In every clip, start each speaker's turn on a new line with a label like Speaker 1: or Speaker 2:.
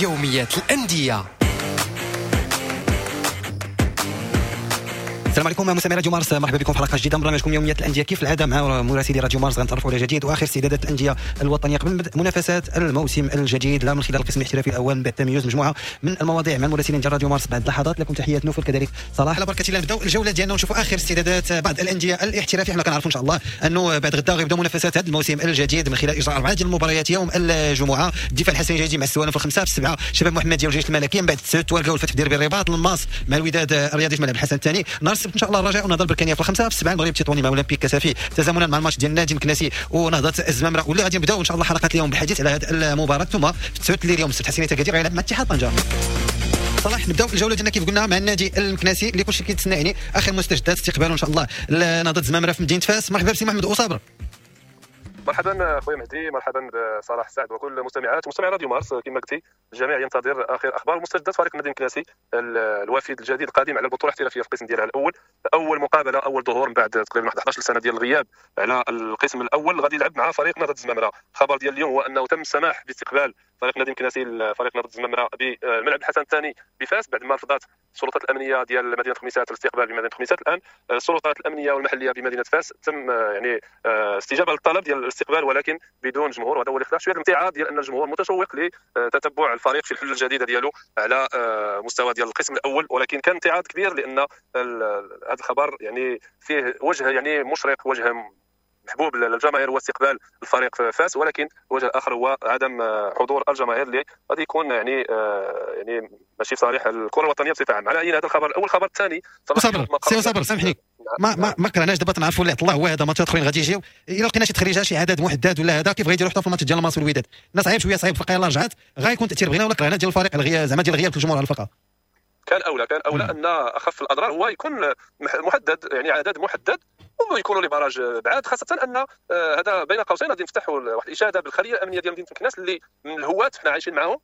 Speaker 1: يوميات الأندية.
Speaker 2: السلام عليكم مستمعي راديو مارس، مرحبا بكم في حلقة جديدة من برنامجكم يوميات الاندية. كيف العادة مع مراسلي راديو مارس غنتعرفوا على جديد واخر استعدادات الاندية الوطنية قبل بدء منافسات الموسم الجديد، لا من خلال القسم الاحترافي الاول من بعد تميز مجموعة من المواضيع مع المراسلين ديال راديو مارس بعد لحظات. لكم تحيات نوفل كذلك صلاح. على بركة الله نبداو الجولة ديالنا ونشوفوا اخر استعدادات بعض الاندية الاحترافية. حنا كنعرفوا ان شاء الله انه بعد غدا غيبداو منافسات هذا الموسم الجديد من خلال اجراء 4 ديال المباريات يوم الجمعة. الدفاع الحسني الجديد مع السوالم في 5، في 7 شباب محمديه والجيش الملكي، من بعد 9 تواركه والفتح ديربي الرباط، الماس مع الوداد الرياضي في ملعب الحسن الثاني. نهار السبت ان شاء الله الرجاء ونهضه البركانيه في 5، في 7 المغرب التطواني مع اولمبيك كسافي تزامنا مع الماتش ديال النادي المكناسي ونهضه الزمامره، واللي غادي نبداو ان شاء الله حلقة اليوم بالحديث على هذه المباراة. ثم في 9 الليل يوم السبت حسنيه اكادير غيلعب مع اتحاد طنجه. صلاح نبداو الجولة ديالنا كيف قلنا مع النادي المكناسي اللي كلشي كيتسنى يعني اخر مستجدات استقباله ان شاء الله لنهضه الزمامره في مدينة فاس. مرحبا بسي محمد اوصابر.
Speaker 3: مرحبا خويا مهدي، مرحبا بصلاح سعد وكل مستمعات ومستمعي راديو مارس. كما قلتي الجميع ينتظر اخر اخبار مستجدات فريق النادي المكناسي الوافد الجديد القادم على البطولة الاحترافية في القسم ديالها الاول. اول مقابله، اول ظهور من بعد تقريبا 11 سنة ديال الغياب على القسم الاول، غادي يلعب مع فريق نهضة الزمامره. الخبر ديال اليوم هو انه تم السماح باستقبال فريق النادي المكناسي فريق نهضة الزمامره بملعب الحسن الثاني بفاس بعد ما رفضت السلطات الامنية ديال مدينة خميسات الاستقبال بمدينة خميسات. الان السلطات الامنية والمحليه بمدينة فاس تم يعني استجابة للطلب ديال الاستقبال ولكن بدون جمهور، وهذا هو اللي خلى شوية الامتعاض ديال ان الجمهور متشوق لتتبع الفريق في الحلة الجديدة ديالو على مستوى ديال القسم الاول. ولكن كان امتعاض كبير لان هذا الخبر يعني فيه وجه يعني مشرق، وجه محبوب للجماهير هو استقبال الفريق في فاس، ولكن الوجه الاخر هو عدم حضور الجماهير اللي غادي يكون يعني يعني ماشي في صالح الكره الوطنية بصفة عامة. على اي هذا الخبر الاول. الخبر الثاني
Speaker 2: صبر سي صبر سامحني، ما كرهناش دابا تنعرفوا اللي طلع هو هذا ماتشات اخرين غادي يجيو. الا لقينا شي تخريجه شي عدد محدد ولا هذا كيف غيديروا حتى في الماتش ديال الماس والوداد؟ الناس صعيب شوية، صعيب الفرقة يلاه رجعت غيكون تاثير بغينا ولا كرهنا ديال الفريق الغياب زعما ديال غياب الجمهور على الفرقة.
Speaker 3: كان اولى ان اخف الاضرار هو يكون محدد، يعني عدد محدد ويكونوا les barrages بعاد، خاصة ان هذا بين قوسين غادي نفتحوا واحد الاشادة بالخليه الامنية ديال مدينة مكناس اللي من الهوات حنا عايشين معاهم،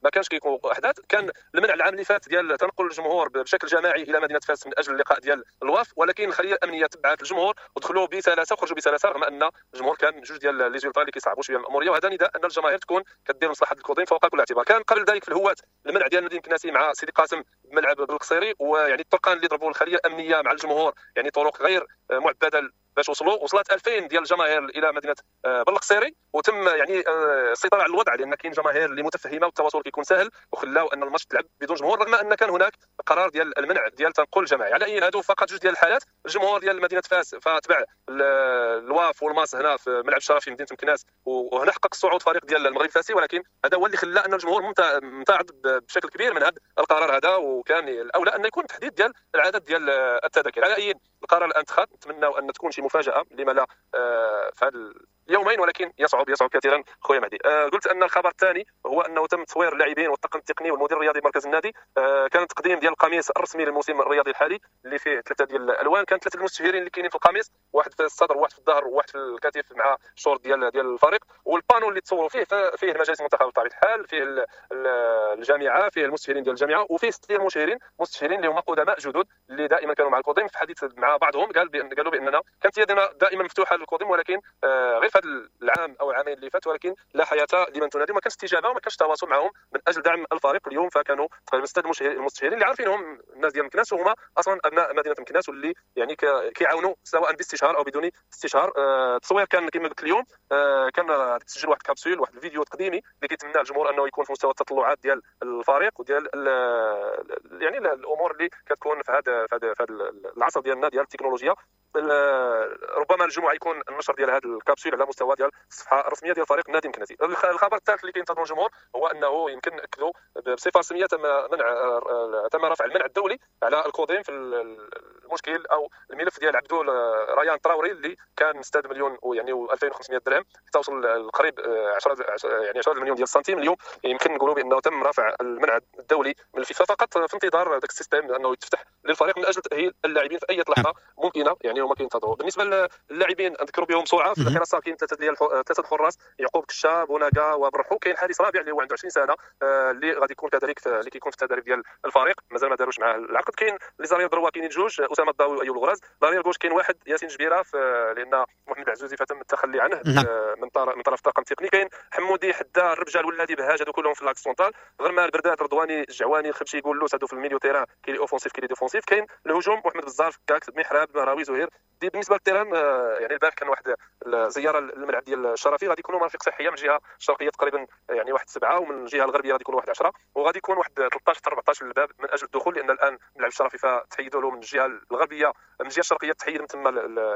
Speaker 3: ما كانش كيكون احداث. كان المنع العام اللي فات ديال تنقل الجمهور بشكل جماعي الى مدينة فاس من اجل اللقاء ديال الواف، ولكن الخلية الامنية تبعت الجمهور ودخلوا بسلاسة وخرجوا بسلاسة، رغم ان الجمهور كان جوج ديال les ultras اللي كيصعبوا شوية الاموريه. وهذا نداء ان الجماهير تكون كدير مصلحة الكوضين فوق كل اعتبار. كان قبل ذلك في الهوات المنع ديال مدينة مكناسي مع سيدي قاسم بملعب بالقصيري، ويعني الطرقان اللي ضربوا الخلية الامنية مع الجمهور يعني طرق غير معبده باش وصلوا، وصلت 2000 ديال الجماهير الى مدينة بلقصيري، وتم يعني السيطرة على الوضع لان كاين جماهير اللي متفهمه والتواصل كيكون سهل، وخلاو ان الماتش تلعب بدون جمهور رغم ان كان هناك قرار ديال المنع ديال تنقل الجماعي. على اي هادو فقط جوج ديال الحالات. الجمهور ديال مدينة فاس فتبع الواف والماس هنا في ملعب الشرفي مدينة مكناس، وهنا حقق الصعود فريق ديال المغرب الفاسي، ولكن هذا هو اللي خلى ان الجمهور ممتعض بشكل كبير من هذا القرار هذا، وكان الاولى ان يكون تحديد ديال العدد ديال التذاكر. على اي القرار الان اتخذ، نتمنى ان تكون شي مفاجاة لما لا في هذا اليومين، ولكن يصعب كثيرا خويا مهدي. قلت ان الخبر الثاني هو انه تم تصوير اللاعبين والطاقم التقني والمدير الرياضي مركز النادي. كان تقديم ديال القميص الرسمي للموسم الرياضي الحالي اللي فيه 3 ديال الالوان. كان 3 المستشهرين اللي كاينين في القميص، واحد في الصدر وواحد في الظهر وواحد في الكتف مع الشورت ديال الفريق. وال panneau اللي تصوروا فيه المجالس المنتخبه بطبيعة الحال، فيه الجامعة، فيه المستشهرين ديال الجامعة، وفيه 6 المستشهرين اللي هما قدماء جدد اللي دائما كانوا مع القديم. في حديث مع بعضهم قالوا باننا كانت يدنا دائما مفتوحة للقديم، ولكن غير في هذا العام او العامين اللي فات، ولكن لا حياة لمن تنادي، ما كانش استجابة وما كانش تواصل معهم من اجل دعم الفريق اليوم. فكانوا تقريبا 6 المستشهرين اللي عارفينهم الناس ديال مكناس، وهما اصلا ابناء مدينة مكناس واللي يعني كيعاونوا سواء باستشهار او بدون استشهار. التصوير كان كما قلت اليوم، كان تسجل واحد كابسول، واحد الفيديو تقديمي اللي كيتمنى الجمهور انه يكون في مستوى التطلعات ديال الفريق وديال يعني الامور اللي كتكون في هذا العصر ديالنا ديال التكنولوجيا. ربما الجمعة يكون النشر ديال هذا الكابسول على مستوى ديال الصفحة الرسمية ديال فريق النادي المكناسي. الخبر الثالث اللي كينتظروا الجمهور هو انه يمكن ناكدوا بصفة رسمية تم رفع المنع الدولي على الكوديم في المشكل او الملف ديال عبدو ريان تراوري اللي كان 6 مليون ويعني 2500 درهم حتى وصل قريب 10 مليون ديال السنتيم. اليوم يمكن نقولوا بانه تم رفع المنع الدولي من الفيفا فقط في انتظار ذاك ال système انه يتفتح للفريق من اجل تاهيل اللاعبين في اي لحظة ممكنة، يعني هما كينتظروا. بالنسبة للاعبين نذكروا بهم بسرعة في الحراسة كاين ثلاثة الحراس، يعقوب كشاب وناكا وبرحو. كاين حارس رابع اللي هو عنده 20 سنة اللي غادي يكون كذلك اللي كيكون في التدريب ديال الفريق، مازال ما داروش معاه العقد. كاين les arrières droits كاينين جوج، اسامة اسامة الضاوي وايوب الغراز. l'arrière gauche كاين واحد ياسين جبيرة، لان محمد العزوزي فتم التخلي عنه من طرف الطاقم التقني. كاين حمودي حدا الربجه الولادي بهاج، هادو كلهم في l'axe central. غرمان البردات رضواني الجعواني الخبشي قولوس، هادو في ال milieu terrain، كاين les offensifs كاين les défensifs. كاين الهجوم محمد بزار فكاك محراب مراوي زهير. دي بالنسبة لل terrain يعني البارح كان واحد الزيارة للملعب ديال الشرفي، غادي يكونوا مرافق صحية من الجهة الشرقية تقريبا يعني واحد 7، ومن الجهة الغربية غادي يكونوا واحد 10، وغادي يكون واحد 13 حتى 14 للباب من اجل الدخول، لان الان ملعب الشرفي فتحيدوا له من الجهة الغربية، من الجهة الشرقية تحيد من تما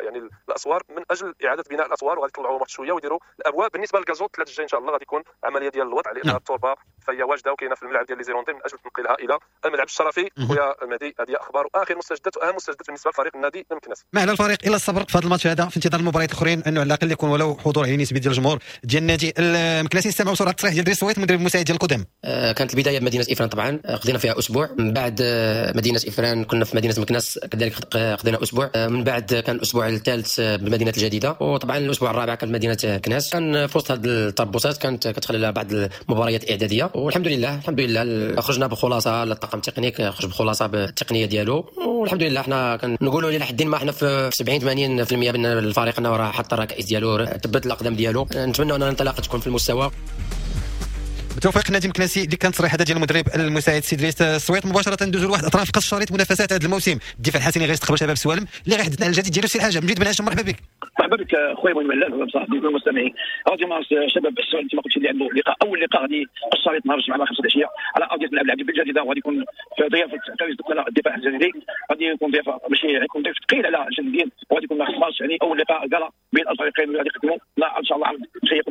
Speaker 3: يعني الاسوار من اجل اعاده بناء الاسوار، وغادي يطلعوهم واحد شوية ويديروا الابواب. بالنسبة لل gazon الثلاث الجاي ان شاء الله غادي يكون عملية ديال الوضع، لان التربة فهي واجدة وكاينه في الملعب ديال les Irlandais من اجل تنقلها الى الملعب الشرفي. خويا المهدي، هذه اخبار واخر مستجدات واهم مستجدات بالنسبة لفريق النادي المكناسي.
Speaker 2: ما على الفريق الا الصبر في هذا الماتش هذا في انتظار المباريات الاخرين، انه على الاقل يكون ولو حضور يعني نسبي ديال الجمهور ديال النادي المكناسي. نستمعوا بسرعة التصريح ديال دريس سويت المدرب المساعد ديال القدام.
Speaker 1: كانت البداية بمدينة افران، طبعا قضينا فيها اسبوع. من بعد مدينة افران كنا في مدينة مكناس كذلك قضينا اسبوع. من بعد كان الاسبوع الثالث بالمدينة الجديدة، وطبعا الاسبوع الرابع كان مدينة كناس. كان في وسط هذه التربصات كانت كتخلل بعض المباريات الاعدادية، والحمد لله الحمد لله خرجنا بخلاصه. الطاقم التقني خرج بخلاصه بالتقنيه ديالو، والحمد لله حنا كنقولوا الى حد ما حنا في 70 80% من الفريق انه راه حط الركائز ديالو، ثبت الاقدام ديالو. نتمنى ان الانطلاقة تكون في المستوى.
Speaker 2: بتوفيق النادي المكناسي. اللي كانت تصريح هذا ديال المدرب المساعد سي دريس السويط. مباشرة ندوزو لواحد اطراف قص شريط منافسات هذا الموسم. الدفاع الحسني غيستقبل شباب سوالم اللي غيحدثنا على الجديد ديالو. سي الحاجة مجيد بن هاشم، مرحبا بك.
Speaker 4: مرحبا بك خويا ابراهيم علال صاحبي المستمعين راديو مارس. شباب السوالم كما قلت اللي عنده لقاء، اول لقاء غادي الشريط نهار الجمعة 5 العشية على ارضية ملعب العبد بالجديده، وغادي يكون في ضيافة كاريس دكالة الدفاع الجديدي. غادي يكون ضيافة ماشي يكون ضيف ثقيل على الجديدين، وغادي يكون ماتش يعني اول لقاء gala بين الفريقين اللي غادي يقدموا لا ان شاء الله شيء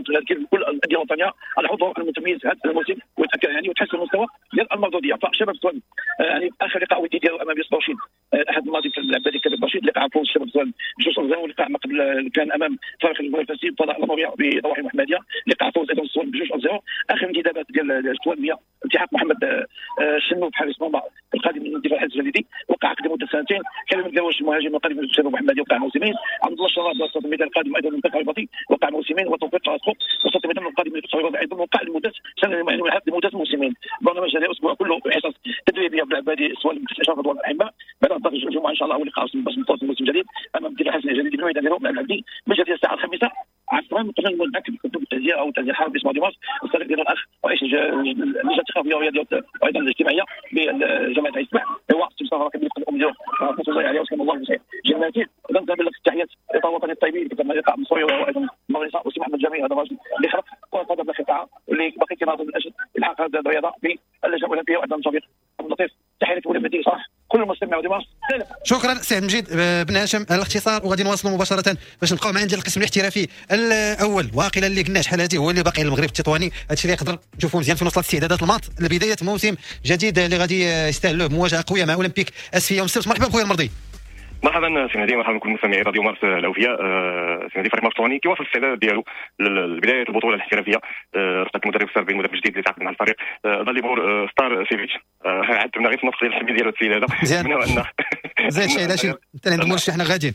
Speaker 4: كل الاندية الوطنية على الحضور المتميز هذا الموسم، ويتاكد يعني وتحسن المستوى ديال المردوديه. فشباب السوالم يعني اخر لقاء ودي ديالو امام يوسف برشيد الاحد الماضي في الملعب الذي كان برشيد، لقاء فوز شباب السوالم 2-0، ولقاء ما قبل كان امام فريق المنافسين فضاء الاموية بضواحي المحمدية، لقاء فوز ايضا السوالم 2-0. اخر انتدابات ديال السوالم هي التحاق محمد الشنوب حارس مرمى القادم من الدفاع الجديدي، وقع عقد لمدة سنتين. كريم الدواش المهاجم القادم من الشباب المحمدي وقع موسمين. عبد الله الشراب وسط الميدان القادم ايضا من الفتح الرباطي وقع موسمين. وتوفيق راسخو وسط الميدان القادم من الفتح الرباطي ايضا وقع لمدة سنة يعني لمدة موسمين. برنامج هذا الاسبوع كله حصص تدريبية في العبادي السوالم تحت اشراف رضوان الحماء. بعد الجمعة ان شاء الله اول لقاء باش نبدا الموسم الجديد امام الدفاع الحسني الجديد بالميدان ديالو مع العبدي من جهة الساعة 5 عصرا. قبل نبدا التعزيه او التعزيه الحار باسم راديو مارس الصديق ديال الاخ رئيس اللجنة الثقافية والرياضيه وايضا الاجتماعية بجامعة عين السبع هو سي مصطفى راكب الام ديالو رحمه الله عليه وسكن الله بخير جناته. اذا نبلغ التحيات الاطار الوطني الطيبين كما لقاء مصري وايضا المغرب وسي محمد جميل، هذا الرجل اللي خلق كره القدم بالقطاع واللي باقي كيناضل من اجل الحاق هذه الرياضة باللجنه الاولمبية، وايضا توفيق عبد اللطيف. تحية لك ولي صح كل المستمع وديماس.
Speaker 2: شكرا سي مجيد بن هاشم على الاختصار، وغادي نواصلوا مباشرة باش نبقاو مع ديال القسم الاحترافي الاول. واقيلا اللي قلنا شحال هذه هو اللي باقي المغرب التطواني، هادشي اللي يقدر نشوفوا مزيان في وصلت استعدادات الماط لبداية موسم جديد اللي غادي يستاهلوه بمواجهة قوية مع اولمبيك اسفي يوم السبت. مرحبا بخويا المرضي.
Speaker 5: مرحبا سي مهدي، مرحبا بكل مستمعي راديو مارس الاوفياء. سي مهدي، فريق مارس كيواصل الاستعداد ديالو لبداية البطولة الاحترافية رفقه المدرب الصربي، المدرب الجديد اللي تعاقد مع الفريق داليبور ستار سيفيتش. عدتنا غير في النص ديال الحمية ديالو السيد هذا.
Speaker 2: مزيان زين شي علاش انت عند مرشح حنا غاديين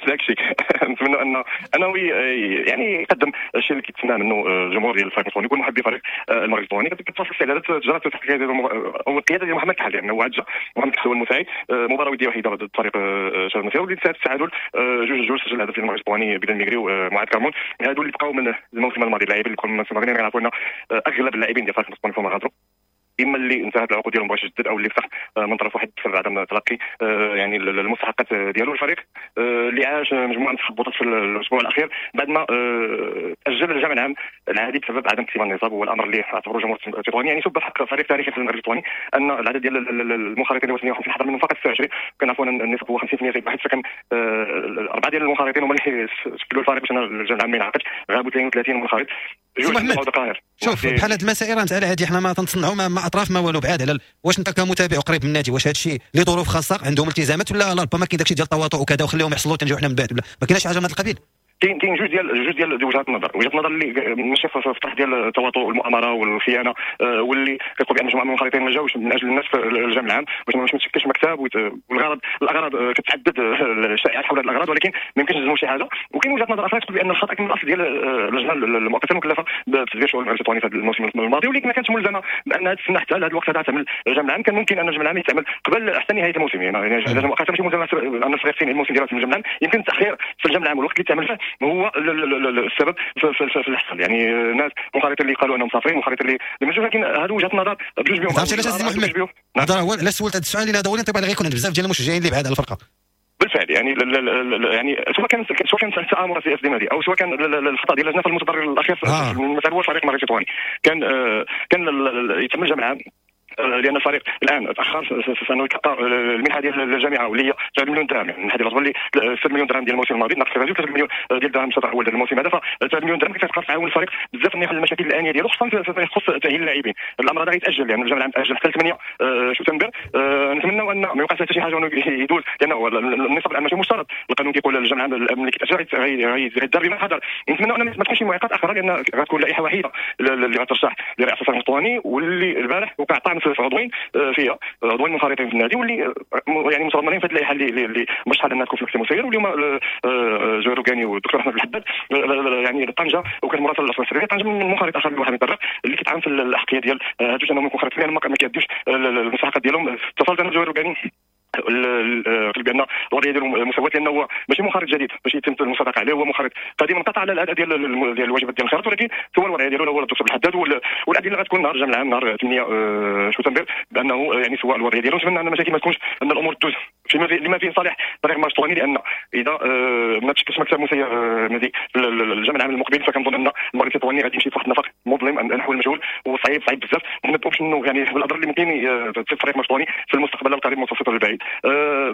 Speaker 5: داكشي. نتمنى ان انه يعني يقدم الشيء اللي كيتسنى منه الجمهور ديال الفريق الوطني وكل محبي فريق المغرب الوطني. كتواصل الاستعدادات جرت تحت القيادة ديال محمد كحل، لانه عاد جا محمد كحل هو المساعد. مباراة وديه وحيده ضد فريق شباب المسيرة واللي انتهت التعادل 2-2. سجل هدف المغرب الوطني بلال ميغري ومعاذ كرمون. هادو اللي بقاو من الموسم الماضي، اللاعبين اللي بقاو من الموسم الماضي. غنعرفوا ان اغلب اللاعبين ديال فريق الوطني فما غادروا، اما اللي انتهت العقود ديالهم باش يجدد او اللي فتح من طرف واحد بسبب عدم تلقي يعني المستحقات ديالو. الفريق اللي عاش مجموعة من التخبطات في الاسبوع الاخير بعد ما اجل الجمع العام العادي بسبب عدم اكتمال النصاب، وهو الامر اللي اعتبره جمهور التطواني يعني سب حق فريق تاريخي في المغرب التطواني ان العدد ديال المنخرطين هو 58 حضر منهم فقط 26. كنعرفوا ان النصاب هو 50% زائد واحد، فكان اربعة ديال المنخرطين هما اللي شكلوا الفريق باش الجمع العام ما ينعقدش. غابوا 32 منخرط.
Speaker 2: شوف بحال هاد المسائل راه مسالة هادي حنا ما تنصنعوا ما اطراف ما والو بعاد على. واش انت كمتابع قريب من النادي، واش هادشي لظروف خاصة عندهم التزامات ولا لا ربما كاين داكشي ديال التواطؤ وكذا وخليهم يحصلوا تنجيو حنا من بعد، ولا ما كاينش حاجة من هذا القبيل؟
Speaker 5: كاين جوج ديال وجهات النظر. وجهه النظر اللي ماشي في الطرح ديال التواطؤ والمؤامره والخيانة، واللي كيقول بان مجموعة من المنخرطين ما جاوش من اجل الناس في الجمع العام باش ما تشكلش مكتب، والغرض الاغراض كتعدد الشائعات حول هذه الاغراض، ولكن ما يمكنش نجزموا شي حاجة. وكاين وجهه نظر اخرى تقول بان الخطا كان من الاصل ديال اللجنة المؤقتة المكلفه بتدبير شؤون المغرب التطواني في هذا الموسم الماضي، واللي ما كانتش ملزمة بانها تستنى حتى لهذا الوقت هذا تعمل الجمع العام. كان ممكن ان الجمع العام يتعمل قبل حتى نهاية الموسم، يعني اللجنة المؤقتة ماشي ملزمة ان الفريق ينهي الموسم ديالها في الجمع العام. يمكن التاخير في الجمع العام والوقت اللي تعمل فيه هو السبب في اللي حصل. يعني ناس منخرطين اللي قالوا انهم مسافرين، منخرطين اللي ما، لكن هذه وجهه نظر بجوج بهم.
Speaker 2: عرفتي علاش سيدي محمد؟ هذا هو علاش سولت هذا السؤال، لان هذا هو الانطباع اللي غيكون عند بزاف ديال المشجعين اللي بعاد على الفرقة.
Speaker 5: بالفعل يعني سواء كان تآمر في اس دي او سواء كان الخطا ديال اللجنة، فالمتضرر الاخير المثال هو الفريق المغربي التطواني. كان يتم الجمع العام لان الفريق الان تاخر في انه يتلقى المنحة ديال الجامعة واللي هي 9 مليون درهم، يعني المنحة ديال اللي 6 مليون درهم ديال الموسم الماضي ناقص 3 مليون ديال الدرهم الشطر الاول ديال الموسم هذا. ف 9 مليون درهم كتبقى تعاون الفريق بزاف انه يحل المشاكل الانية ديالو، خصوصا فيما يخص تاهيل اللاعبين. الامر هذا غيتاجل، لان يعني الجمع العام تاجل حتى 8 شتنبر. نتمنى ان ما يوقعش حتى شي حاجة يدوز، لانه النصاب الان ماشي مشترط، القانون كيقول الجمع العام ملي كيتاجل غيدار بما حضر. نتمنى ان ما تكونش معيقات اخرى، لان غتكون لائحة وحيده اللي غترشح لرئاسة الفريق الوطني، واللي البارح وقع طعن في عضوين فيها، عضوين منخرطين في النادي واللي يعني متضمنين في هذه اللائحة اللي مرشحة لانها تكون في المكتب المسير، واليوم زهير روكاني والدكتور احمد الحداد. يعني طنجه وكان مراسل الاسرة السرية طنجه من منخرط اخر لواحد من الطرف اللي كيتعامل في الاحقيه ديال هادو انهم منخرطين، لان ما كيديوش المستحقات ديالهم. اتصلت انا بزهير روكاني، قال بان الوضعية ديالو مساواة، لانه هو ماشي منخرط جديد باش يتم المصادقة عليه، هو منخرط قديم انقطع على الاداء ديال الواجبات ديال الانخراط، ولكن هو الوضعية ديالو هو الدكتور الحداد. والادلة غتكون نهار الجمع العام نهار 8 شتنبر بانه يعني سواء الوضعية ديالو. نتمنى ان المشاكل ما تكونش، ان الامور تدوز فيما لما فيه صالح فريق المغرب التطواني، لان اذا ما تشكلش مكتب مسير نادي الجمع العام المقبل، فكنظن ان المغرب التطواني غادي يمشي في واحد النفق مظلم نحو المجهول وصعيب صعيب بزاف. ما انه يعني بالاضرار اللي ممكن تصيب فريق المغرب التطواني في المستقبل القريب المتوسط والبعيد.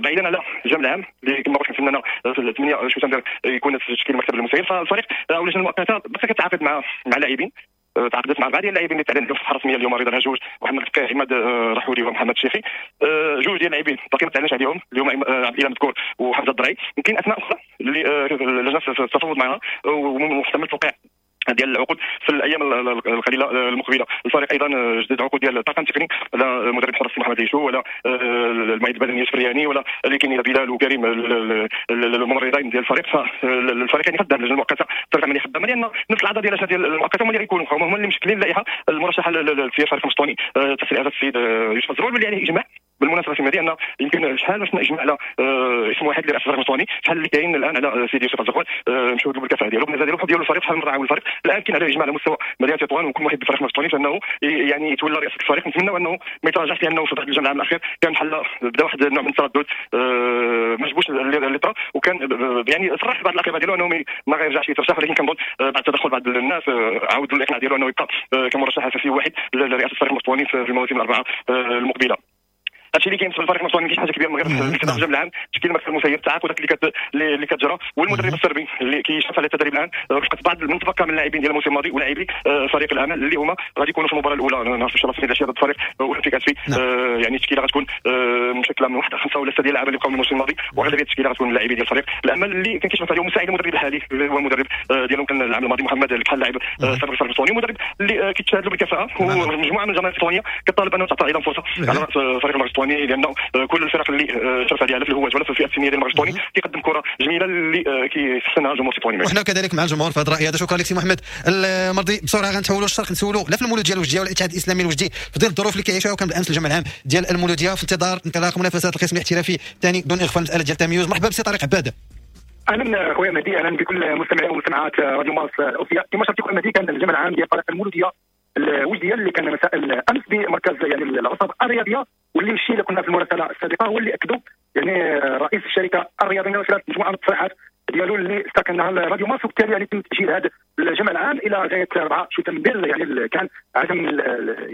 Speaker 5: بعيدا على الجمع العام اللي كما قلت نتمنى في 8 شتنبر يكون تشكيل المكتب المسير، فالفريق او اللجنة المؤقتة بس كتعاقد مع لاعبين، تعاقدت مع بعض اللاعبين اللي تعلن في الصفحة الرسمية اليوم، رضا الهجوج، محمد الفقيه، عماد رحولي ومحمد الشيخي. جوج ديال اللاعبين باقي ما تعلنش عليهم اليوم، عبد الاله مذكور وحمزة الدرعي. يمكن اسماء اخرى اللي اللجنة التفاوض معها ومحتمل توقيع ديال العقود في الايام القليلة المقبلة. الفريق ايضا جدد عقود ديال الطاقم التقني، لا مدرب حراس محمد عيشو ولا المعد البدني يوسف رياني ولا اللي كاين بلال وكريم الممرضين ديال الفريق. فالفريق يعني خدام، اللجنة المؤقتة الفريق عملية خدامه، لان نفس الاعضاء ديال اللجنة ديال المؤقتة هما اللي غيكونوا هما اللي مشكلين اللائحة المرشحه لتسيير فريق المسطوني تحت رئاسة السيد يوسف الزروال، واللي عليه اجماع بالمناسبة في ان يمكن شحال باش اجماع على اسم واحد لرئاسة الفريق المسطوني، شحال اللي كاين الان على سيدي يوسف الزروال، مشهود بالكفاءه ديالو، بالنسبة ديالو، ديالو الفريق، شحال من رعاون الفريق. الان كاين على اجماع على مستوى مدينة تطوان وكل واحد بالفريق المسطوني فانه يعني يتولى رئاسة الفريق. نتمنى انه ما يتراجعش، لانه في الجمع العام الاخير كان بحال بدا واحد النوع من التردد، ما عجبوش اللي طرا، وكان يعني صرح بعض الاقرباء ديالو انه ما غيرجعش يترشح، ولكن كنظن بعد تدخل بعض الناس عاودوا الاقناع ديالو انه يبقى كمرشح اساسي واحد لرئاسة الفريق المسطوني في المواسم الاربعة المقبلة. هادشي اللي كاين في الفريق المسطوني، ما كاينش حاجة كبيرة من غير الجمع العام، تشكيل المكتب المسير، التعاقدات اللي كتجرى، والمدرب الصربي اللي كيشرف على التدريب الان رفقه بعض من تبقى من اللاعبين ديال الموسم الماضي ولاعبي فريق الامل اللي هما غادي يكونوا في المباراة الاولى نهار ان شاء الله في العشية ضد فريق اولمبيك اسفي. يعني التشكيلة غتكون مشكلة من واحد خمسة ولا ستة ديال اللعابه اللي بقاو من الموسم الماضي، واغلبيه التشكيلة غتكون اللاعبين ديال الفريق الامل اللي كان كيشرف عليهم مساعد المدرب الحالي اللي هو المدرب ديالهم كان العام الماضي محمد الكحل، لاعب سابق الفريق الاسطواني، مدرب اللي كيتشاهد له بالكفاءه، ومجموعة من الجماهير الاسطوانيه كطالب انه تعطى ايضا فرصة على راس فريق المغرب الاسطواني، لانه كل الفرق اللي شرف عليها لا في الهواة ولا في الفئة السنية ديال المغرب الاسطواني كيقدم كره جميلة اللي كيحسنها الجمهور الاسطواني.
Speaker 2: وحنا كذلك مع الجمهور في هذا الراي هذا. شكرا لك سي محمد المرضي. بسرعة غنتحولوا للشرق، نسولوا لا في المولوديه الوجديه والاتحاد الاسلامي الوجدي في ظل الظروف اللي كيعيشوها، وكان بالامس الجمع العام ديال المولوديه في انتظار انطلاق منافسات القسم الاحترافي الثاني دون اغفال مسالة ديال التميز. مرحبا بسي طارق عباد.
Speaker 4: اهلا خويا مهدي، اهلا بكل مستمعي ومستمعات راديو مارس الاوفياء. كما شرتي خويا مهدي، كان الجمع العام ديال فريق المولوديه الوجديه اللي كان مساء الامس بمركز يعني العصب الرياضية، واللي الشيء اللي قلنا في المراسله السابقة هو اللي اكدوا يعني رئيس الشركة الرياضية من خلال مجموعة من التصريحات ديالو اللي استكنها راديو مارس، وبالتالي يعني تم تاجيل هذا الجمع العام الى غاية 4 شتنبر. يعني كان عدم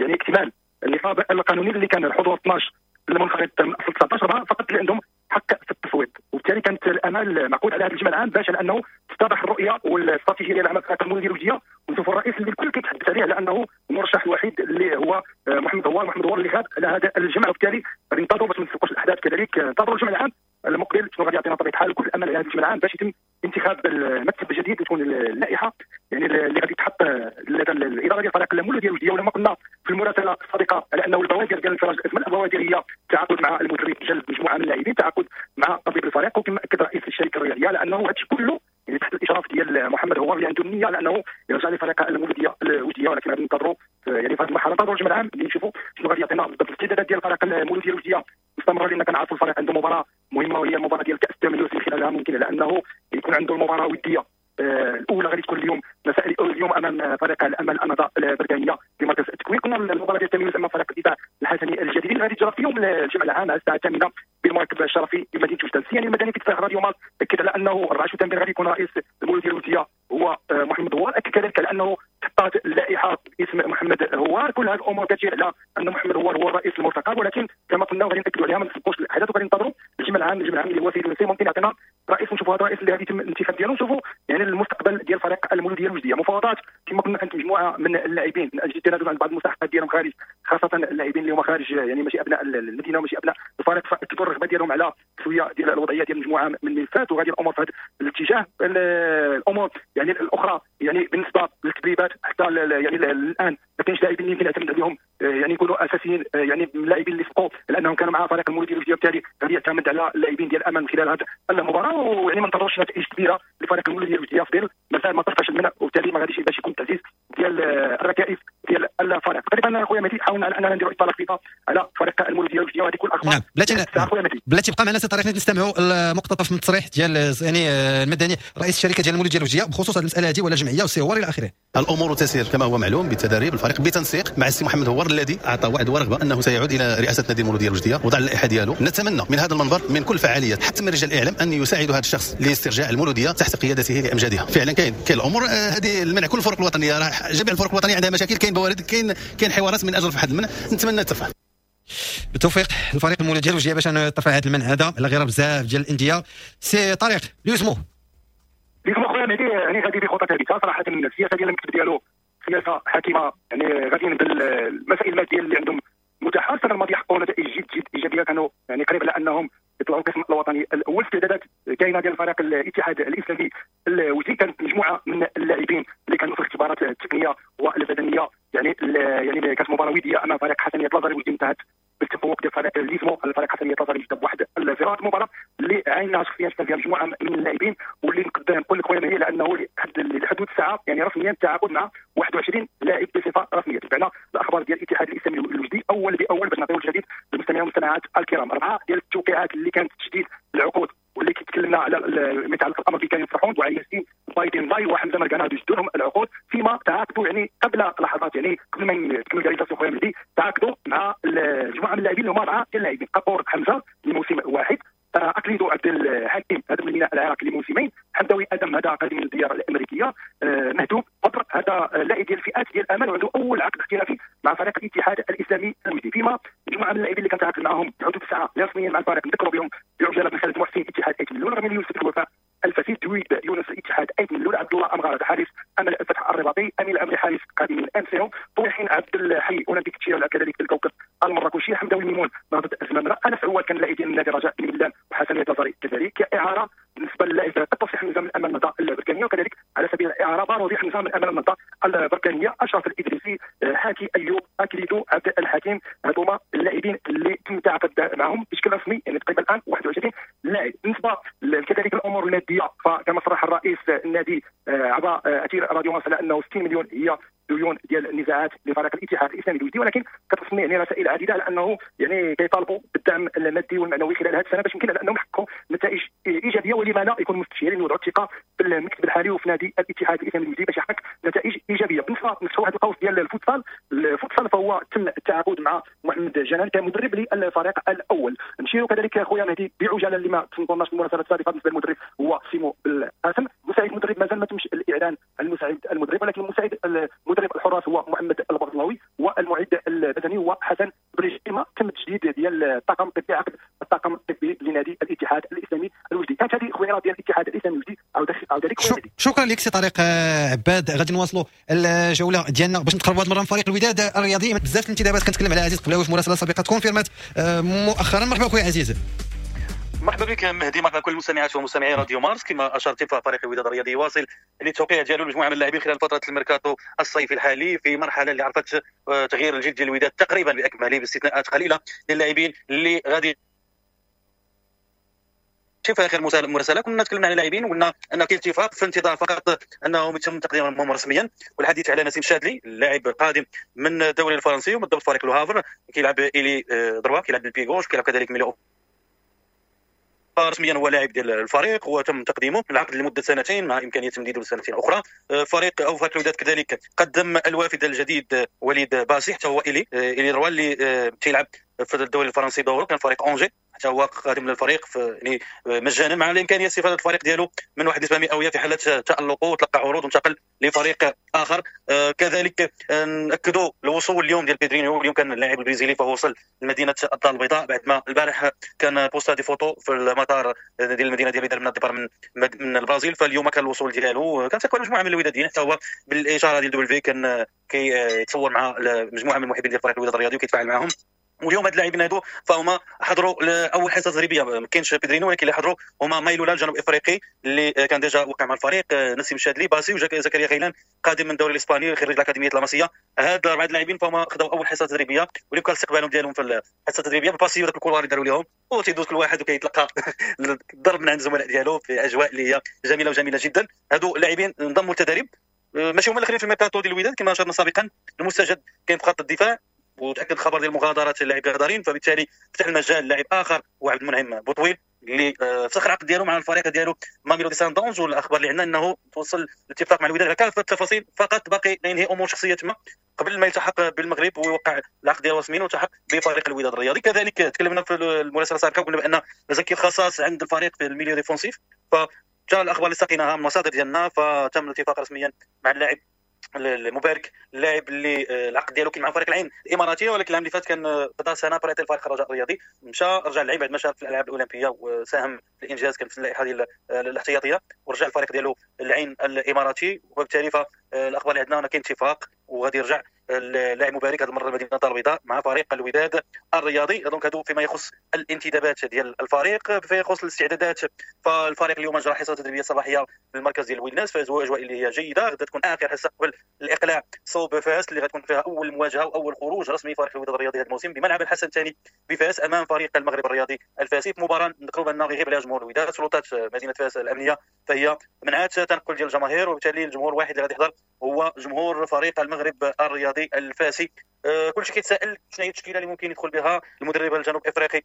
Speaker 4: يعني اكتمال النصاب القانوني اللي كان الحضور 12 المنخرط من اصل 19، 4 فقط اللي عندهم حق في التصويت، وبالتالي كانت الامال معقود على هذا الجمع العام باش على انه تتضح الرؤية والاستراتيجيه ديال العمل في المولوديه الوجديه، ونشوفوا الرئيس اللي الكل كيتحدث عليه على انه المرشح الوحيد اللي هو محمد دوار، محمد دوار اللي غاب على هذا الجمع، وبالتالي غادي ننتظروا باش ما نسبقوش الاحداث، كذلك ننتظروا الجمع العام المقبل شنو غادي يعطينا. طبيعة الحال كل الامل على هذا الجمع العام باش يتم انتخاب المكتب الجديد وتكون اللائحة يعني اللي غادي تحط لدى الادارة ديال فريق المولوديه الوجديه. ولما قلنا في المراسله السابقة على انه البوادر ديال انفراج الازمة، البوادر هي التعاقد مع المدرب، جلب مجموعة من اللاعبين، التعاقد مع طبيب الفريق، وكما اكد رئيس الشركة الرياضية على انه هذا كله يعني تحت الاشراف ديال محمد هوار اللي عنده النية على انه يرجع لفريق المولوديه الوجديه. ولكن غادي ننتظروا يعني في هذه المرحلة، ننتظروا الجمع العام اللي نشوفوا شنو غادي يعطينا بالضبط. الاستعدادات ديال فريق المولوديه الوجديه مستمرة، لان كنعرفوا الفريق عنده مباراة مهمة وهي المباراة ديال كاس التميز، اللي خلالها ممكن على انه يكون عنده المباراة وديه الاولى غادي تكون اليوم مساء اليوم امام فريق الامل النهضة البركانيه في مركز التكوين. كنا المباراة ديال التميز امام فريق الدفاع الحسني الجديد اللي غادي تجرى في يوم الجمعة العام على الساعة 8 بالمركب الشرفي بمدينة وجده. يعني المدني في تفاح راديو مارس اكد على انه 4 شتنبر غادي يكون رئيس المولوديه الوجديه هو محمد هوار، اكد كذلك على انه تحطات اللائحة باسم محمد هوار. كل هذه الامور كتشير على ان محمد هوار هو الرئيس المرتقب، ولكن كما قلنا غادي ناكدوا عليها ما نسبقوش الاحداث وغادي ننتظروا الجمع العام. الجمع العام اللي هو سيد الونسي ممكن يعطينا رئيس، ونشوفوا هذا الرئيس اللي غادي يتم الانتخاب ديالو، نشوفوا يعني المستقبل ديال فريق المولوديه الوجديه. مفاوضات كما قلنا كانت مجموعة من اللاعبين من اجل التنازل عن بعض المستحقات ديالهم خارج، خاصة اللاعبين اللي هما خارج يعني ماشي ابناء المدينة وماشي ابناء الفريق، فاكدوا الرغبة ديالهم على تسويه ديال الوضعية ديال مجموعة من الملفات، وغادي الامور في هذا الاتجاه. الامور يعني الاخرى يعني بالنسبة للتدريبات حتى يعني الان ما كاينش لاعبين اللي يمكن يعتمد عليهم يعني يكونوا اساسيين، يعني من اللاعبين اللي سبقوا لانهم كانوا مع فريق المولوديه الوجديه، وبالتالي غادي يعتمد على اللاعبين ديال الامل خلال هذه المباراة. ويعني ما ننتظروش نتائج كبيرة لفريق المولوديه الوجديه في مازال ما طرفش المنع، وبالتالي ما غاديش باش يكون تعزيز ديال الركائز ديال الفريق. تقريبا خويا مهدي حاولنا على اننا نديروا اطلاله خفيفة على فريق المولوديه الوجديه، وهذه كل الاخبار.
Speaker 2: نعم بلاتي بقى معنا سي طارق نستمعوا المقتطف من التصريح ديال يعني المدني رئيس الشركة ديال المولوديه الوجديه بخصوص هذه المسالة هذه ولا الجمعية والسي هوار الى اخره.
Speaker 6: الامور تسير كما هو معلوم بتدريب الفريق بتنسيق مع السي محمد هوار الذي اعطى وعد ورغبه انه سيعود الى رئاسة نادي المولوديه الوجديه وضع اللائحة ديالو. نتمنى من هذا المنبر من كل فعاليات حتى من رجال الاعلام ان يساعدوا هذا الشخص لاسترجاع المولوديه تحت قيادته لامجادها. فعلا كاين الامور هذه المنع، كل الفرق الوطنية جميع الفرق الوطنية عندها مشاكل، كاين بوارد، كاين حوارات من اجل رفع هذا المنع، نتمنى ترفع.
Speaker 2: بالتوفيق الفريق المولوديه الوجديه باش ترفع هذا المنع هذا على غير بزاف ديال الاندية. سي طارق ليوسمو
Speaker 4: ليوسمو خويا مهدي يعني غادي بخطى ثابتة صراحة. السياسة ديال المكتب ديالو سياسة حكيمة، يعني غاديين بالمسائل المادية اللي عندهم متاحة. السنة الماضية حققوا نتائج جد جد ايجابية، كانوا يعني قريب على انهم يطلعوا القسم الوطني الاول. استعدادات كاينه ديال فريق الاتحاد الاسلامي الوجدي، كانت مجموعة من اللاعبين اللي كانوا في الاختبارات التقنية والبدنيه، يعني كانت مباراة وديه امام فريق حسنيه لازاري واللي انتهت بالتفوق ديال فريق ليزمو على فريق حسنيه لازاري ب1-0. المباراة اللي عينها شخصيا كان فيها مجموعة من اللاعبين، واللي نقدر نقول لك خويا مهدي لانه لحدود الساعة يعني رسميا التعاقد مع 21 لاعب بصفة رسمية. تبعنا الاخبار ديال الاتحاد الاسلامي الوجدي اول باول باش نعطيو الجديد للمستمعين والمستمعات الكرام. 4 ديال التوقيعات اللي كانت تجديد العقود واللي كيتكلمنا على ما يتعلق الامر بكريم فرحون وعياسين بايدين باي وحمزة مرقانه، هادو جدوا لهم العقود فيما تعاقدوا يعني قبل لحظات، يعني قبل ما تكمل réalisation خويا مهدي تعاقدوا مع مجموعة من اللاعبين اللي هما 4 ديال اللاعبين: قبور حمزة لموسم واحد، اكليدو عبد الحكيم هذا من الميناء العراقي لموسمين، حمداوي ادم هذا قادم من الديار الامريكية، مهدوب بدر هذا لاعب ديال الفئات ديال الامل وعنده اول عقد احترافي مع فريق الاتحاد الاسلامي الوجدي. فيما مجموعة من اللاعبين اللي كان تعاقد معهم حدود الساعة رسميا مع الفريق نذكروا بهم بعجاله بن خالد محسن اتحاد ايت ملول، رميل يوسف الوفاء الفسيد، دويد يونس اتحاد ايت ملول، عبد الله امغار حارس امل الفتح الرباطي، امين الامري حارس قادم من ام سي، طويحين عبد الحي اولمبيك تشير كذلك الكوكب المراكشي، حمداوي ميمون نهضة الزمامره، انس عواد كان لاعب ديال النادي رجاء بن ملان وحسنيه لازاري كذلك اعاره بالنسبة للاعب التصحيح نظام الامل النهضة البركانيه، وكذلك على سبيل الاعارة باروزي نظام الامل النهضة البركانيه، اشرف الادريسي، حاكي ايوب، اكليدو عبد الحكيم. هذوما اللاعبين اللي تم التعاقد معهم بشكل رسمي يعني تقريبا الان 21 لاعب. بالنسبة كذلك الامور المادية فكما صرح الرئيس النادي عبر اثير راديو مارس على انه 60 مليون هي ديون ديال النزاعات لفريق الاتحاد الاسلامي الوجدي، ولكن كتصني يعني رسائل عديدة على انه يعني كيطالبوا بالدعم المادي والمعنوي خلال هذه السنة باش يمكن على انهم يحققوا نتائج ايجابية، ولما لا يكون مستشيرين يوضعوا الثقة بالمكتب الحالي وفي نادي الاتحاد الاسلامي الوجدي باش يحقق نتائج ايجابية. بالنسبة نفتحوا واحد القوس ديال الفوتسال، الفوتسال فهو تم التعاقد مع محمد جنان كمدرب للفريق الاول. نشيروا كذلك خويا مهدي بعجاله اللي ما تنظناش المراسلات السابقة بالنسبة للمدرب هو سيمو بالقاسم. مساعد المدرب مازال ما تمش الاعلان عن المساعد المدرب، ولكن المساعد المدرب الحراس هو محمد البغضلاوي، والمعد البدني هو حسن بريجيما. تم التجديد ديال الطاقم الطبي، عقد الطاقم الطبي لنادي الاتحاد الاسلامي الوجدي. كانت هذه خويا ديال الاتحاد الاسلامي الوجدي. عاود لك
Speaker 2: شكرا لك سي طارق عباد. غادي نواصلوا الجولة ديالنا باش نتقربوا هذه المرة من فريق الوداد الرياضي. بزاف الانتدابات كنتكلم على عزيز قبلاوي في مراسله سابقه confirmات مؤخرا. مرحبا خويا عزيز.
Speaker 7: مرحبا بك مهدي، مرحبا كل المستمعات ومستمعي راديو مارس. كما اشرت ففريق الوداد الرياضي واصل للتوقيع ديالو لمجموعة من اللاعبين خلال فترة الميركاتو الصيفي الحالي، في مرحلة اللي عرفت تغيير الجلد ديال الوداد تقريبا باكمله باستثناءات قليله للاعبين اللي غادي في اخر المراسله. كنا تكلمنا على اللاعبين وقلنا ان كاين اتفاق في انتظار فقط انهم يتم تقديمهم رسميا، والحديث على نسيم شادلي اللاعب القادم من الدوري الفرنسي وبالضبط فريق لوهافر، كيلعب ailier droit، كيلعب بال pied gauche، كيلعب كذلك milieu. رسميا هو لاعب ديال الفريق وتم تقديمه العقد لمدة سنتين مع امكانية تمديده لسنتين اخرى. فريق الوداد كذلك قدم الوافد الجديد وليد باسي، حتى هو ailier droit اللي تيلعب في الدوري الفرنسي دوره، كان فريق اونجي، حتى هو قادم للفريق يعني مجانا مع الامكانية استفاده الفريق ديالو من واحد النسبة مئوية في حاله تالقه وتلقى عروض وانتقل لفريق اخر. كذلك ناكدوا الوصول اليوم ديال بيدرينيو، اليوم كان اللاعب البرازيلي فهو وصل لمدينة الدار البيضاء بعد ما البارح كان posta des photos في المطار ديال المدينة ديال من ال départ من البرازيل، فاليوم كان الوصول ديالو. كان تكون مجموعة من الوداديين حتى هو بالاشارة ديال W كان كيتصور مع مجموعة من المحبين ديال فريق الوداد الرياضي وكيتفاعل معهم. واليوم هاد اللاعبين هادو فهما حضروا لاول حصة تدريبية، ما كاينش بيدرينو ولكن اللي حضروا هما مايلولا الجنوب افريقي اللي كان déjà وقع مع الفريق، نسيم شادلي، باسي، وزكريا غيلان قادم من الدوري الاسباني خريج الاكاديمية لاماسيا. هاد اربعة اللاعبين فهما خداو اول حصة تدريبية واللي كان استقبالهم ديالهم في الحصة التدريبية باسي وداك ال couloir اللي داروا لهم، وتيدوز كل واحد وكيتلقى الضرب من عند الزملاء ديالو في اجواء اللي هي جميلة وجميلة جدا. هادو اللاعبين انضموا للتدريب، ماشي هما الاخرين في الميركاتو ديال الوداد كما اشرنا سابقا. المستجد كاين في خط الدفاع وتاكد خبر ديال مغادرة اللاعب غدارين، فبالتالي فتح المجال لاعب اخر هو عبد المنعم بوطويل اللي فسخ العقد ديالو مع الفريق ديالو ماميلودي ساندونز. والاخبار اللي عندنا انه توصل الاتفاق مع الوداد على كافة التفاصيل، فقط باقي ينهي امور شخصية تما قبل ما يلتحق بالمغرب ويوقع العقد ديالو رسميا ويلتحق بفريق الوداد الرياضي. كذلك تكلمنا في المراسله السابقة وقلنا بان زكي الخصاص عند الفريق في ال milieu défensif، فجاء الاخبار اللي سقيناها من المصادر ديالنا، فتم الاتفاق رسميا مع اللاعب المبارك، اللاعب اللي العقد ديالو كان مع فريق العين الاماراتية، ولكن العام اللي فات كان قضى سنة prêté لفريق الرجاء الرياضي، مشى رجع للعب بعد ما شارك في الالعاب الاولمبية وساهم في الانجاز، كان في اللائحة ديال الاحتياطيه، ورجع الفريق ديالو العين الاماراتي. وبالتالي فالاخبار اللي عندنا كاين اتفاق وغادي يرجع اللاعب مبارك هذه المرة لمدينة الدار البيضاء مع فريق الوداد الرياضي. donc هادو فيما يخص الانتدابات ديال الفريق. فيما يخص الاستعدادات فالفريق اليوم اجرى حصة تدريبية صباحية في المركز ديال الويلناس في اجواء اللي هي جيدة. غدا تكون اخر حصة قبل الاقلاع صوب فاس اللي غتكون فيها اول مواجهة واول خروج رسمي فريق الوداد الرياضي هذا الموسم بملعب الحسن الثاني بفاس امام فريق المغرب الرياضي الفاسي، في مباراة نذكروا بان غيغيب عليها جمهور الوداد. سلطات مدينة فاس الامنية فهي منعت تنقل ديال الجماهير، وبالتالي الجمهور الواحد اللي غادي يحضر هو جمهور فريق المغرب الرياضي الفاسي. كلشي كيتسائل شنو هي التشكيلة اللي ممكن يدخل بها المدرب الجنوب افريقي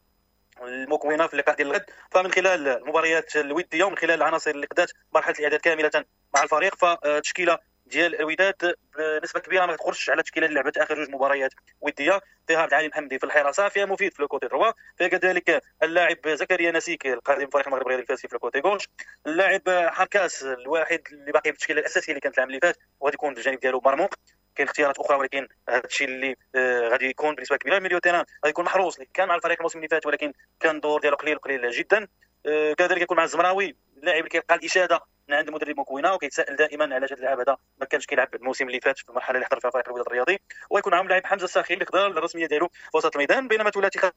Speaker 7: المكونة في اللقاء ديال الغد. فمن خلال المباريات الودية ومن خلال العناصر اللي قدات مرحلة الاعداد كاملة مع الفريق، فالتشكيله ديال الوداد بنسبة كبيرة ما تخرجش على التشكيلة اللي لعبت اخر جوج مباريات وديه. فيها عبد العالي محمدي في الحراسة، فيها مفيد في le côté droit، فيها كذلك اللاعب زكريا نسيك القادم فريق المغرب الرياضي الفاسي في le côté gauche، اللاعب حركاس الواحد اللي باقي في التشكيلة الاساسية اللي كانت العام اللي فات وغادي يكون في الجانب ديالو مرموق. كاين اختيارات اخرى ولكن هذا الشيء اللي غادي يكون بنسبة كبيرة. milieu terrain غادي يكون محروس اللي كان مع الفريق الموسم اللي فات ولكن كان الدور ديالو قليل قليل جدا. كذلك يكون مع الزمراوي اللاعب اللي كيلقى الاشادة من عند المدرب مكوينه وكيتسائل دائما علاش هذا اللاعب هذا ما كانش كيلعب الموسم اللي فات في المرحلة اللي حضر فيها فريق الوداد الرياضي. ويكون معهم لاعب حمزة الساخي اللي خدا الرسمية ديالو في وسط الميدان. بينما ثلاثي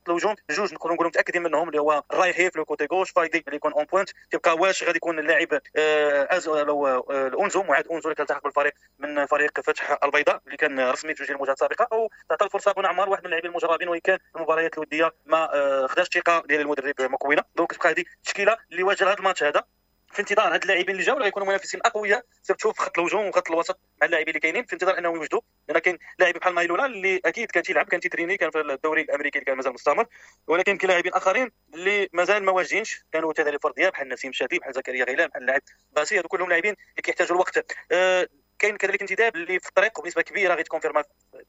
Speaker 7: الهجوم جوج نقدروا نقولوا متاكدين منهم اللي هو الرايحي في le côté gauche، فايدي اللي يكون en pointe. تبقى واش غادي يكون اللاعب اونزو معاد اونزو اللي كيلتحق بالفريق من فريق فتح البيضاء اللي كان رسمي في جوج المواجهات السابقة، او تعطى الفرصة بن عمار واحد من اللاعبين المجربين وإن كان المباريات الودية ما خداش الثقة ديال المدرب مكوينه. donc تبقى هذه التشكيلة اللي واجه هذا الماتش هذا في انتظار هاد اللاعبين اللي جاوا اللي غيكونوا منافسين اقوياء، surtout في خط الهجوم وخط الوسط مع اللاعبين اللي كاينين، في انتظار انهم يوجدوا. لان كاين لاعب بحال مايلولا اللي اكيد كان تيلعب، كان تيتريني، كان في الدوري الامريكي اللي كان مازال مستمر، ولكن كاين لاعبين اخرين اللي مازال ما واجدينش، كانوا تدريب فردية بحال نسيم شادي، بحال زكريا غيلان، بحال اللاعب باسي، هادو كلهم لاعبين اللي كيحتاجوا الوقت. كاين كذلك انتداب اللي في الطريق وبنسبة كبيرة غيتكونفيرما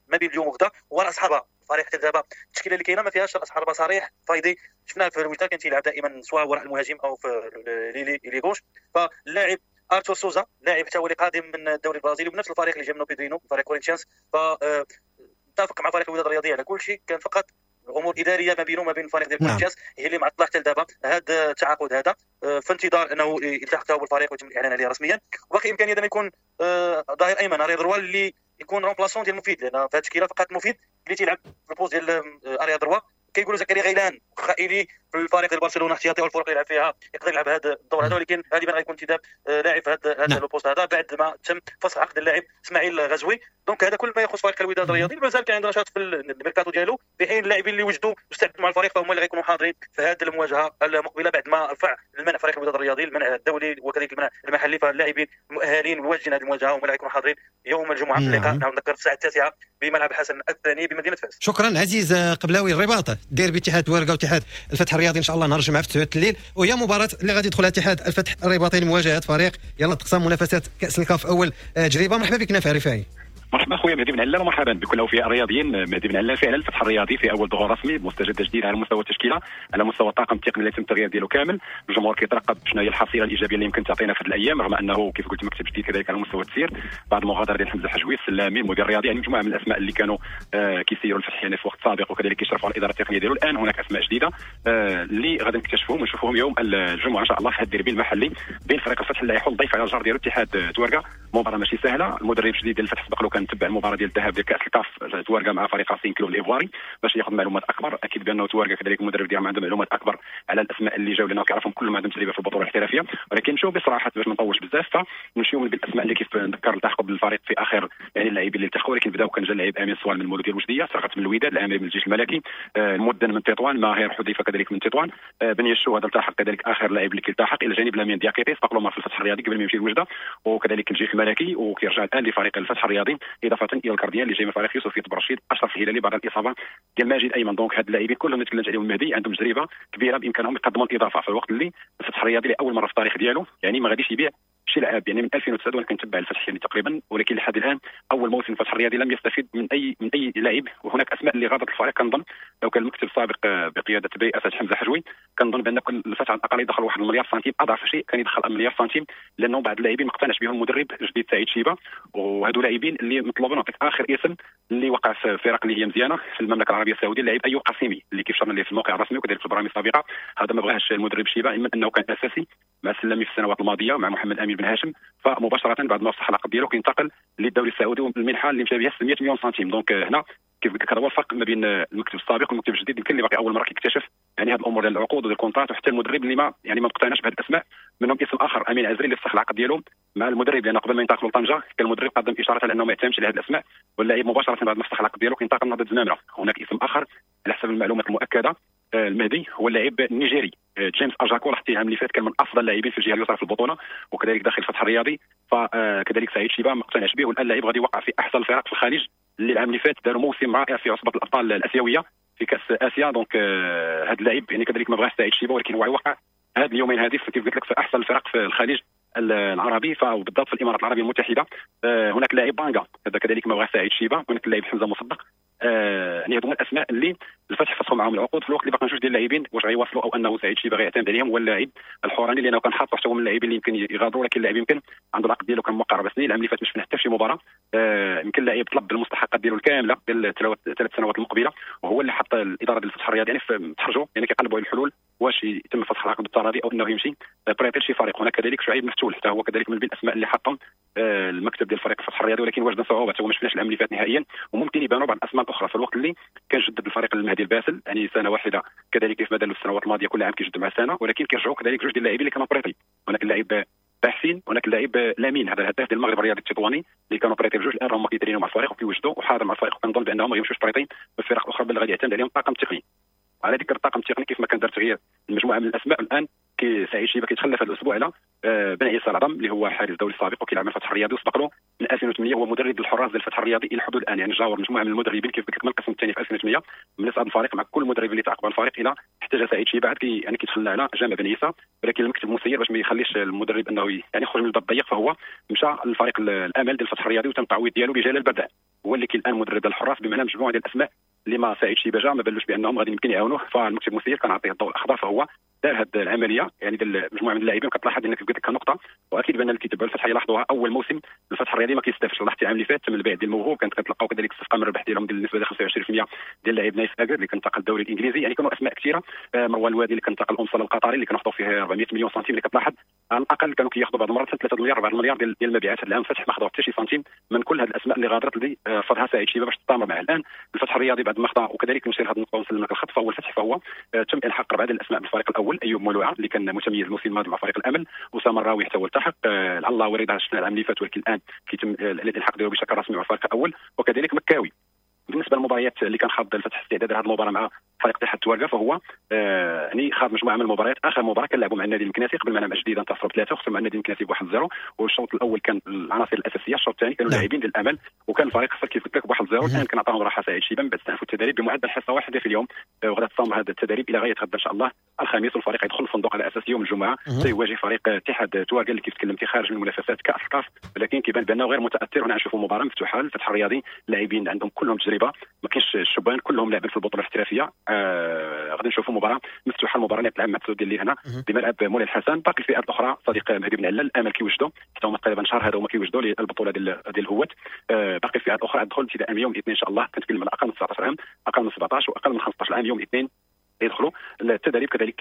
Speaker 7: ما بين اليوم وغدا هو راس حربه. الفريق حتى دابا التشكيلة اللي كاينه ما فيهاش راس حربه صريح. فايدي شفناه في الوداد كان تيلعب دائما سواء وراء المهاجم او في l'ailier gauche. فاللاعب ارتور سوزا لاعب حتى هو اللي قادم من الدوري البرازيلي وبنفس الفريق اللي جا منه بيدرينو فريق كورينثيانس، ف اتفق مع فريق الوداد الرياضي على كل شيء، كان فقط امور ادارية ما بينه وما بين الفريق ديال كورينثيانس هي اللي معطلة حتى لدابا هذا التعاقد هذا، في انتظار انه يلتحق هو بالفريق ويتم الاعلان عليه رسميا. وباقي امكانية انه يكون ظهير ايمن arrière droit اللي يكون remplaçant ديال مفيد، لان في هذه التشكيلة فقط مفيد اللي تيلعب في ال poste ديال arrière droit. كيقولوا زكريا غيلان خائلي في الفريق ديال برشلونة احتياطي والفرق اللي يلعب فيها يقدر يلعب هذا الدور هذا، ولكن غالبا غيكون انتداب لاعب هذا le poste هذا بعد ما تم فسخ عقد اللاعب اسماعيل غزوي. donc هذا كل ما يخص فريق الوداد الرياضي. مازال كان عنده نشاط في الميركاتو ديالو، في حين اللاعبين اللي وجدوا واستعدوا مع الفريق فهم اللي غيكونوا حاضرين في هذه المواجهة المقبلة بعد ما رفع المنع فريق الوداد الرياضي، المنع الدولي وكذلك المنع المحلي. فاللاعبين المؤهلين والواجدين هذه المواجهة هم اللي غيكونوا حاضرين يوم الجمعة في اللقاء، نعم نذكر الساعة 9 بملعب حسن الثاني بمدينة فاس.
Speaker 2: شكرا عزيز قبلاوي. الرباط ديربي اتحاد تواركة واتحاد الفتح الرياضي ان شاء الله نهار الجمعة في 9 الليل، وهي مباراة اللي غادي يدخلها اتحاد الفتح الرباطي لمواجهة فريق يلا تقسم منافسات كاس الكاف اول تجربه. مرحبا بك نافع رفاعي.
Speaker 5: مرحبا خويا مهدي بن علال ومرحبا بكل اوفياء الرياضيين. مهدي بن علال فعلا الفتح الرياضي في اول ظهور رسمي مستجد جديد على مستوى التشكيلة، على مستوى الطاقم التقني اللي تم التغيير ديالو كامل. الجمهور كيترقب شنو هي الحصيلة الايجابية اللي يمكن تعطينا في هذه الايام، رغم انه كيف قلت مكتب جديد كذلك على مستوى التسيير بعد المغادرة ديال حمزة حجوي السلامي المدير الرياضي، يعني مجموعة من الاسماء اللي كانوا كيسيروا الفتح يعني في وقت سابق وكذلك كيشرفوا على الادارة التقنية ديالو. الان هناك اسماء جديدة اللي غادي نكتشفوهم ونشوفوهم يوم الجمعة ان شاء الله في هذا الديربي المحلي بين فريق الفتح اللي يحل ضيف على الجار ديالو اتحاد تواركة. مباراة ماشي سهلة، المدرب الجديد ديال الفتح سبق له كان تبع المباراة ديال الذهاب ديال كاس الكاف تواركة مع فريق راسين كلوب الايفواري باش ياخذ معلومات اكبر. اكيد بانه تواركة كذلك المدرب ديالهم عنده معلومات اكبر على الاسماء اللي جاوا لانه كيعرفهم كلهم عندهم تجربه في البطولة الاحترافية. ولكن نمشيو بصراحة باش ما نطولش بزاف، فنمشيو من بالاسماء اللي كيف نذكر التحقوا بالفريق في اخر يعني اللاعبين اللي التحقوا، ولكن بداو كان جا اللاعب امين صوال من المولوديه الوجديه، سرقت من الوداد، العامري من الجيش الملكي، المدن من تطوان، ماهر حذيفة كذلك من تطوان، بن يشو هذا التحق كذلك اخر لاعب اللي كيلتحق الى جانب لامين دياكيتي سبق له في الفتح الرياضي قبل ما يمشي لوجده وكذلك الجيش الملكي، وكيرجع الان لفريق الفتح الرياضي، اضافه الى ال gardien اللي جاي من فريق يوسف برشيد اشرف الهلالي بعد الاصابة ديال ماجد ايمن. donc هاد اللاعبين كلهم اللي تكلمت عليهم المهدي عندهم تجربه كبيرة بامكانهم يقدموا الاضافة في الوقت اللي الفتح الرياضي لاول مرة في التاريخ ديالو يعني ما غاديش يبيع شي لاعب، يعني من 2009 وانا كنتبع الفتح يعني تقريبا، ولكن لحد الان اول موسم الفتح الرياضي لم يستفيد من اي لاعب. وهناك اسماء اللي غادرت الفريق، كنظن لو كان المكتب السابق بقيادة برئاسة حمزة حجوي كنظن بان الفتح على الاقل يدخل 1 مليار سنتيم، اضعف شيء كان يدخل 1 مليار سنتيم، لانه بعض اللاعبين ما اقتنعش بهم المدرب الجديد سعيد شيبة، وهادو لاعبين اللي مطلوبين. نعطيك اخر اسم اللي وقع في فرق اللي هي مزيانه في المملكة العربية السعودية، اللاعب ايوب قاسمي اللي كيف شرنا ليه في الموقع الرسمي وكذلك في البرامج السابقة، هذا ما بغاهش المدرب شيبة، اما انه كان اساسي مع السلامي في السنوات الماضية ومع محمد امين بن هاشم، فمباشره بعد ما فسخ العقد ديالو كينتقل للدوري السعودي والمنحه اللي مشى بها 600 مليون سنتيم. donc هنا كيف قلت لك هذا هو الفرق ما بين المكتب السابق والمكتب الجديد، يمكن اللي باقي اول مرة كيكتشف يعني هذه الامور ديال العقود وديال ال contrat، وحتى المدرب اللي ما يعني ما مقتنعش بهذه الاسماء. منهم اسم اخر امين عزري اللي فسخ العقد ديالو مع المدرب، لان قبل ما ينتقلوا لطنجه كان المدرب قدم اشارة على انه ما يعتمدش على هذه الاسماء، واللاعب مباشرة بعد ما فسخ العقد ديالو كينتقل لنهضه الزمامره. هناك اسم اخر على حسب المعلومات المؤكدة المهدي هو اللاعب النيجيري جيمس اجاكو، حتى العام اللي فات كان من افضل اللاعبين في الجهة اليسرى في البطولة وكذلك داخل الفتح الرياضي، فكذلك سعيد شيبة ما اقتنعش به، والان اللاعب غادي يوقع في احسن الفرق في الخليج اللي العام اللي فات داروا موسم رائع في عصبه الابطال الاسيوية في كاس اسيا. donc هذا اللاعب يعني كذلك ما بغاش سعيد شيبة، ولكن هو يوقع هذا اليومين هذه كيف قلت لك في احسن الفرق في الخليج العربي وبالضبط في الامارات العربية المتحدة. هناك لاعب بانغا هذا كذلك ما بغاش سعيد شيبة، هناك اللاعب حمزة مصدق، يعني هذو هما الاسماء اللي الفتح فسخوا معاهم العقود في الوقت اللي باقي جوج ديال اللاعبين واش غيواصلوا او انه سعيد شيبة غيعتمد عليهم، هو اللاعب الحوراني لانه كان حاط حتى هو من اللاعبين اللي يمكن يغادروا، ولكن اللاعب يمكن عنده العقد ديالو كان موقع 4 سنين، العام اللي فات ما شفنا حتى في شي مباراة. يمكن اللاعب طلب المستحقات ديالو الكاملة ديال 3 سنوات المقبلة، وهو اللي حط الادارة ديال الفتح الرياضي يعني تحرجوا يعني كيقلبوا على الحلول واش يتم فسخ العقد بالتراضي او انه يمشي prêté لشي فريق. هناك كذلك شعيب مفتول حتى هو كذلك من بين الاسماء اللي حطهم المكتب ديال فريق الفتح الرياضي، ولكن واجد صعوبة هو ما شفناش العام اللي فات نهائيا، وممكن يبانوا بعض الاسماء الاخرى في الوقت اللي كان جدد الفريق المهدي الباسل يعني سنة واحدة كذلك كيف ما داروا في السنوات الماضية كل عام كيجدد مع سنة، ولكن كيرجعوا كذلك جوج ديال اللاعبين اللي كانوا prêtés، هناك اللاعب باحسين هناك اللاعب لامين هذا الهداف ديال المغرب الرياضي التطواني اللي كانوا prêtés بجوج، الان راهم كيترينوا مع الفريق وكيوجدوا وحاضر مع الفريق، وكنظن بانهم ما غيمشيوش prêtés في فرق اخرى بل غادي يعتمد عليهم الطاقم التقني. على ذكر الطاقم التقني كيف ما كان دار تغيير مجموعة من الاسماء، الان سعيد شيبة كيتخلف هذا الاسبوع على بن عيسى العظم اللي هو حارس دولي سابق وكيلعب مع الفتح الرياضي وسبق له من 2008 هو مدرب الحراس ديال الفتح الرياضي الى حدود الان، يعني جاور مجموعة من المدربين كيف قلت لك من القسم الثاني في 2008 من صعد الفريق مع كل المدربين اللي تعاقبوا على الفريق الى حتى جا سعيد شيبة عاد يعني كيتخلى على جامع بن عيسى، ولكن المكتب المسير باش ما يخليش المدرب انه يعني يخرج من الباب الضيق فهو مشى للفريق الامل ديال الفتح الرياضي وتم التعويض ديالو بجلال البردع هو اللي كاين الان مدرب الحراس، بمعنى مجموعة ديال الاسماء اللي ما سعيد شيبة جا ما بالوش بانهم غادي يمكن يعاونوه، فالمكتب المسير كان عطية الضوء الاخضر فهو دار هذه العملية يعني ديال مجموعة من اللاعبين. كتلاحظ انك قلت لك نقطة، واكيد بان اللي كيتبعوا الفتح يلاحظوها، اول موسم الفتح الرياضي ما كيستافدش. لاحظتي العام اللي فات تم البيع ديال الموهوب، كانت كتلقاو كذلك الصفقة من الربح ديالهم ديال النسبة ديال 25% ديال اللاعب نايف اكر اللي كنتقل الدوري الانجليزي. يعني كانوا اسماء كثيرة، مروان الوادي اللي كنتقل الامصال القطري اللي كنحطوا فيه 400 مليون سنتيم، اللي كتلاحظ على الاقل كانوا كياخذوا بعض المرات 3 مليار 4 مليار ديال المبيعات. هذا العام الفتح ما خداو حتى شي سنتيم من كل هذه الاسماء اللي غادرت اللي فرضها سعيد شيبة باش تستمر معه. الان الفتح الرياضي بعد ما خدا، وكذلك نشير هذه النقطة ونسلم لك الخط، فهو الفتح فهو تم الحاق 4 ديال الاسماء بالفريق الاول: ايوب مولوعه اللي كان متميز الموسم الماضي مع فريق الامل، اسامة الراوي حتى هو التحق، العلاوي رضا شفنا العام اللي فات ولكن الان كيتم الالحاق ديالو بشكل رسمي مع الفريق الاول، وكذلك مكاوي. بالنسبة للمباريات اللي كان خاض الفتح استعداد لهذه المباراة مع فريق اتحاد توارقه، فهو يعني خاض مجموعة من المباريات. اخر مباراة كان لعبوا مع النادي المكناسي قبل ما نلعب جديدة، انتصروا ب3 وخسروا مع النادي المكناسي ب1-0. والشوط الاول كان العناصر الاساسية، الشوط الثاني كانوا لاعبين ديال الامل، وكان الفريق خسر كيف قلت لك ب1-0. الان كان عطاهم راحة سعيد شيبة من بعد استأنفوا التدريب بمعدل حصة واحدة في اليوم، وغادي تصام هذا التدريب الى غاية غدا ان شاء الله الخميس، والفريق يدخل الفندق على اساس يوم الجمعة سيواجه فريق اتحاد توارقه اللي كيف تكلمتي خارج من منافسات كاس الكاف، ولكن كيبان بانه غير متاثر. هنا نشوفوا مباراة مفتوحة للفتح الرياضي، اللاعبين عندهم كلهم تجربه، ما كاينش الشبان كلهم لاعبين في البطولة الاحترافية. غادي نشوفوا مباراة مفتوحة، المباراة اللي تلعب مع السعودية اللي هنا بملعب مولاي الحسن. باقي الفئات الاخرى صديق مهدي بن علال الامل كيوجدوا حتى هما تقريبا شهر هذا هما كيوجدوا للبطولة ديال الهوات. باقي الفئات الاخرى تدخل ابتداء من يوم الاثنين ان شاء الله، كنتكلم على اقل من 19 عام، اقل من 17 واقل من 15 عام، يوم الاثنين يدخلوا التدريب. كذلك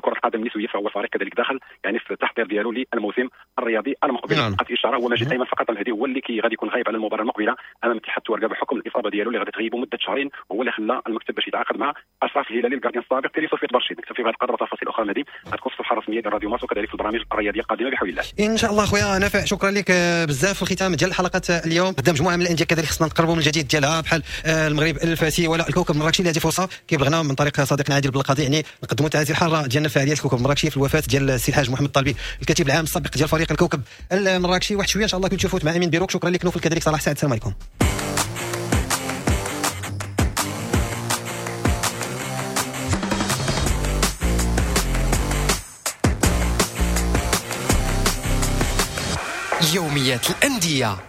Speaker 5: كرة القدم النسوية فهو الفريق كذلك داخل يعني في التحضير ديالو للموسم الرياضي المقبل. فقط اشارة، هو ماجد ايمن فقط المهدي هو اللي غادي يكون غايب على المباراة المقبلة امام اتحاد توارقه بحكم الاصابة ديالو اللي غادي تغيبه مده شهرين، وهو اللي خلى المكتب باش يتعاقد مع اشرف الهلالي ال gardien السابق ديال صوفيا برشيد. نكتفي بهذا القدر، وتفاصيل اخرى مهدي غتكون في الصفحة الرسمية ديال راديو مارس وكذلك في البرامج الرياضية القادمة بحول الله
Speaker 2: ان شاء الله. خويا نافع شكرا لك بزاف. في الختام ديال حلقة اليوم قدام مجموعة من الاندية كذلك خصنا نقربوا من الجديد ديالها بحال المغرب الفاسي ولا الكوكب المراكشي اللي هذه فرصة كيبلغنا من طريق صديقنا عادل بالقاضي يعني نقدموا تعازي الحارة ديالنا الفعاليات الكوكب المراكشي في الوفاة ديال السي الحاج محمد الطالبي الكاتب العام السابق ديال فريق الكوكب المراكشي. واحد شوية ان شاء الله كنت تشوفوا مع امين بيروك. شكرا لك نوفل، كذلك صلاح سعد. السلام عليكم.
Speaker 8: يوميات الأندية.